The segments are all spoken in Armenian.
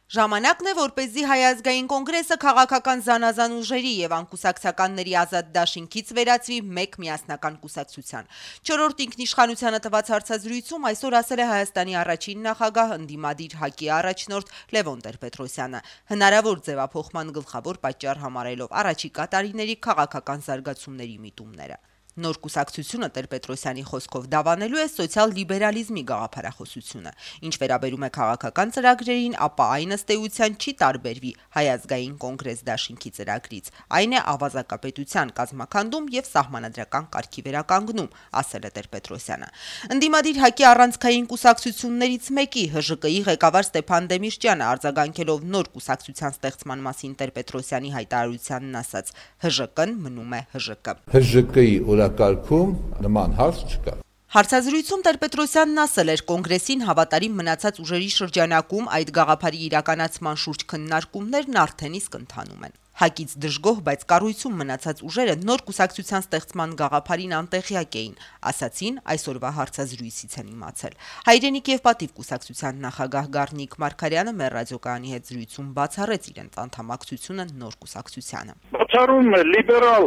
Ժամանակն է, որպեսզի Հայ ազգային կոնգրեսը քաղաքական զանազան ուժերի եւ անկուսակցականների ազատ դաշինքից վերածվի մեկ միասնական կուսակցության։ Չորրորդ ինքնիշխանությանը տված հարցազրույցում այսօր ասել է Հայաստանի առաջին նախագահ ընդդիմադիր ՀԱԿ-ի առաջնորդ Լևոն Տեր-Պետրոսյանը, հնարավոր ձևափոխման գլխավոր պատճառ համարելով առաջիկա տարիների քաղաքական զարգացումների միտումները։ Նոր կուսակցությունը Տեր-Պետրոսյանի խոսքով դավանելու է սոցիալ-լիբերալիզմի գաղափարախոսությունը, ինչ վերաբերում է քաղաքական ծրագրերին, ապա այն ըստ էության չի տարբերվի Հայ ազգային կոնգրես դաշինքի ծրագրից, այն է ավազակապետության կազմաքանդում եւ սահմանադրական կարգի վերականգնում, ասել է Տեր-Պետրոսյանը։ Ընդդիմադիր ՀԱԿ-ի առանցքային կուսակցություններից մեկի ՀԺԿ-ի ղեկավար Ստեփան Դեմիրճյանը արձագանքելով նոր կուսակցության ստեղծման մասին Տեր-Պետրոսյանի հայտարարությանն ասաց. ՀԺԿ-ն մնում է ՀԺԿ։ ՀԺԿ-ի կարգում նման հարց չկա։ Հարցազրույցում Տեր-Պետրոսյանն ասել էր, կոնգրեսին հավատարիմ մնացած ուժերի շրջանակում այդ գաղափարի իրականացման շուրջ քննարկումներն արդեն իսկ ընթանում են։ ՀԱԿ-ից դժգոհ, բայց կառույցում մնացած ուժերը նոր կուսակցության ստեղծման գաղափարին անտեղյակ էին, ասացին այսօրվա հարցազրույցից են իմացել։ Հայրենիք եւ պատիվ կուսակցության նախագահ Գառնիկ Մարգարյանը մեր ռադիոկայանի հետ զրույցում բացառեց իրենց անդամակցությունը նոր կուսակցությանը։ Բացառում է լիբերալ,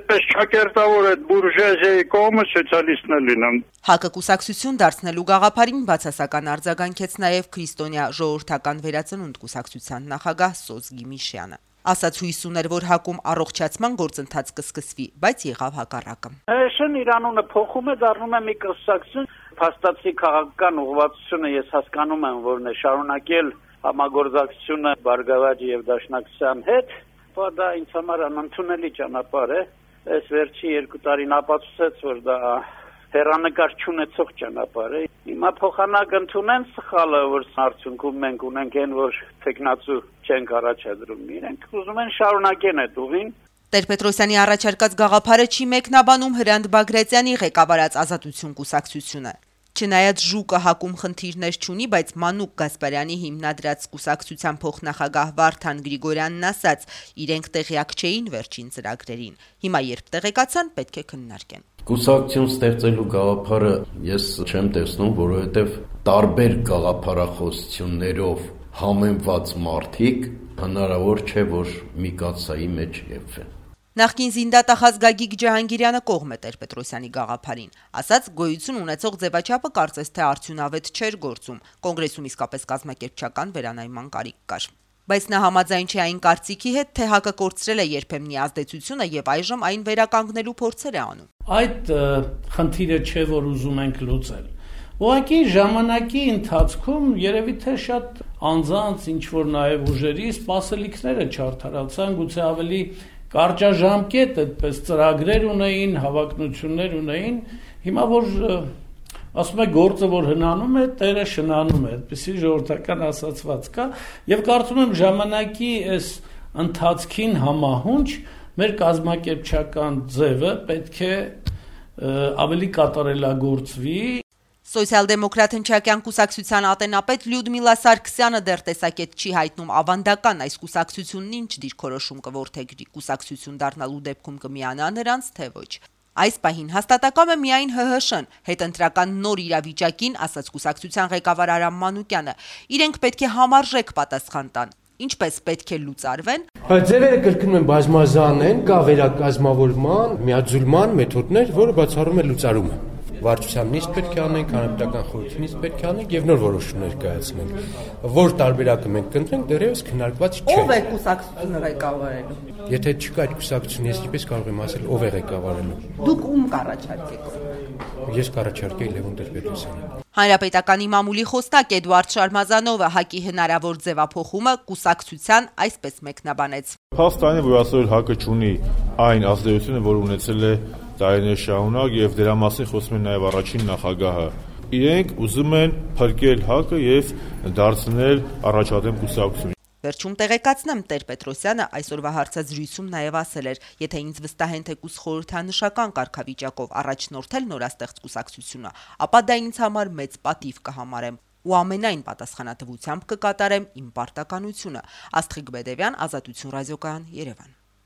այդպես չակերտավոր այդ բուրժուազիայի կողմը սոցիալիստն է լինում։ ՀԱԿ-ը կուսակցություն դարձնելու գաղափարին բացասական արձագանքեց նաև Քրիստոնյա ժողովրդական վերածնունդ կուսակցության նախագահ Սոզ Գիմիշյանը։ Ասաց հույս ուներ, որ ՀԱԿ-ում առողջացման գործընթաց կսկսվի, բայց եղավ հակառակը։ Շն իր անունը փոխում է, դառնում է մի կուսակցություն, փաստացի քաղաքական ուղղվածությունը ես հասկանում եմ, որն է շարունակել համագործակցությունը Բարգավաճի եւ Դաշնակցության հետ, բայց դա ինձ համար անընդունելի ճանապարհ է։ Այս վերջի 2 տարին ապացուցեց, որ դա հեռանկար չունեցող ճանապարհ է։ Հիմա փոխանակ ընդունեն սխալը, որ արդյունքում մենք ունենք այն, որ տեխնացու չենք առաջադրում։ Իրենք ուզում են շարունակեն այդ ուղին։ Տեր-Պետրոսյանի առաջարկած գաղափարը չի մեկնաբանում Հրանտ Բագրատյանի ղեկավարած Ազատություն կուսակցությունը։ Չնայած ԺՈՒԿ-ը ՀԱԿ-ում խնդիրներ չունի, բայց Մանուկ Գասպարյանի հիմնադրած կուսակցության փոխնախագահ Վարդան Գրիգորյանն ասաց, իրենք տեղյակ չէին վերջին ծրագրերին։ Հիմա երբ տեղեկացան, պետք է քննարկեն։ Կուսակցություն ստեղծելու գաղափարը ես չեմ տեսնում, որովհետև տարբեր գաղափարախոսություններով համեմված մարդիկ հնարավոր չէ, որ մի կաթսայի մեջ եփվեն։ Նախկին զինդատախազ Գագիկ Ջահանգիրյանը կողմ է Տեր-Պետրոսյանի գաղափարին, ասաց գոյություն ունեցող ձևաչափը կարծես թե արդյունավետ չէր գործում, կոնգրեսում իսկապես կազմակերպչական վերանայման կարիք կար։ Բայց նա համաձայն չէ այն կարծիքի հետ, թե ՀԱԿ-ը կորցրել է երբեմնի ազդեցությունը եւ այժմ այն վերականգնելու փորձեր է անում։ Այդ խնդիրը չէ, որ ուզում ենք լուծել։ Ուղղակի ժամանակի ընթացքում երևի թե շատ անձանց ինչ որ նաեւ ուժերի սպասելիքները չարդարացան, գուցե ավելի կարճաժամկետ այդպես ծրագրեր ունեին, հավակնություններ ունեին, հիմա որ ասում է գործը որ հնանում է, Տերը շնանում է, այդպիսի ժողովրդական ասացված կա, եւ կարծում եմ ժամանակի այս ընթացքին համահունչ մեր կազմակերպչական ձևը պետք է ավելի կատարելագործվի։ Սոցիալ-դեմոկրատ հնչակյան կուսակցության ատենապետ Լյուդմիլա Սարգսյանը դեռ տեսակետ չի հայտնում ավանդական այս կուսակցությունն ինչ դիրքորոշում կորդեգրի, կուսակցություն դառնալու դեպքում կմիանա նրանց, թե ոչ։ Այս պահին հաստատակամ է միայն ՀՀՇ-ն, հետընտրական նոր իրավիճակին, ասաց կուսակցության ղեկավար Արամ Մանուկյանը, իրենք պետք է համարժեք պատասխան տան։ Ինչպես պետք է լուծարվեն։ Ձևերը կրկնում են բազմազան են, կա վերակազմավորման, միաձուլման մեթոդներ, որը բացառում է լուծարումը։ Վարչության նիստ պետք է անենք, հանրապետական խորհրդի նիստ պետք է անենք եւ նոր որոշումներ կայացնենք։ Որ տարբերակը մենք կընտրենք, դեռևս քննարկված չէ։ Ո՞վ է կուսակցությունը ղեկավարելու։ Եթե չկա այդ կուսակցություն, ես ինչպես կարող եմ ասել, ով է ղեկավարելու։ Դուք ում կառաջարկեք։ Ես կառաջարկեի Լևոն Տեր-Պետրոսյանին։ Հանրապետականի մամուլի խոսնակ Էդուարդ Շարմազանովը ՀԱԿ-ի հնարավոր ձևափոխումը կուսակցության այսպես մեկնաբանեց։ Փաստորեն է, որ այսօր ՀԱԿ-ը ունի այն ազդեցությունը, որ ունեցել է տարիներ շարունակ եւ դրա մասին խոսում է նաեւ առաջին նախագահը։ Իրենք ուզում են փրկել ՀԱԿ-ը եւ դարձնել առաջադեմ կուսակցություն։ Վերջում տեղեկացնեմ, Տեր-Պետրոսյանը այսօրվա հարցազրույցում նաև ասել էր, եթե ինձ վստահեն թեկուզ խորհրդանշական կարգավիճակով առաջնորդել նորաստեղծ կուսակցությունը, ապա դա ինձ համար մեծ պատիվ կհամարեմ ու ամենայն պատասխանատվությամբ կկատարեմ իմ պարտականությունը։ Աստղիկ Բեդևյան, Ազատություն ռադիոկայան, Երևան։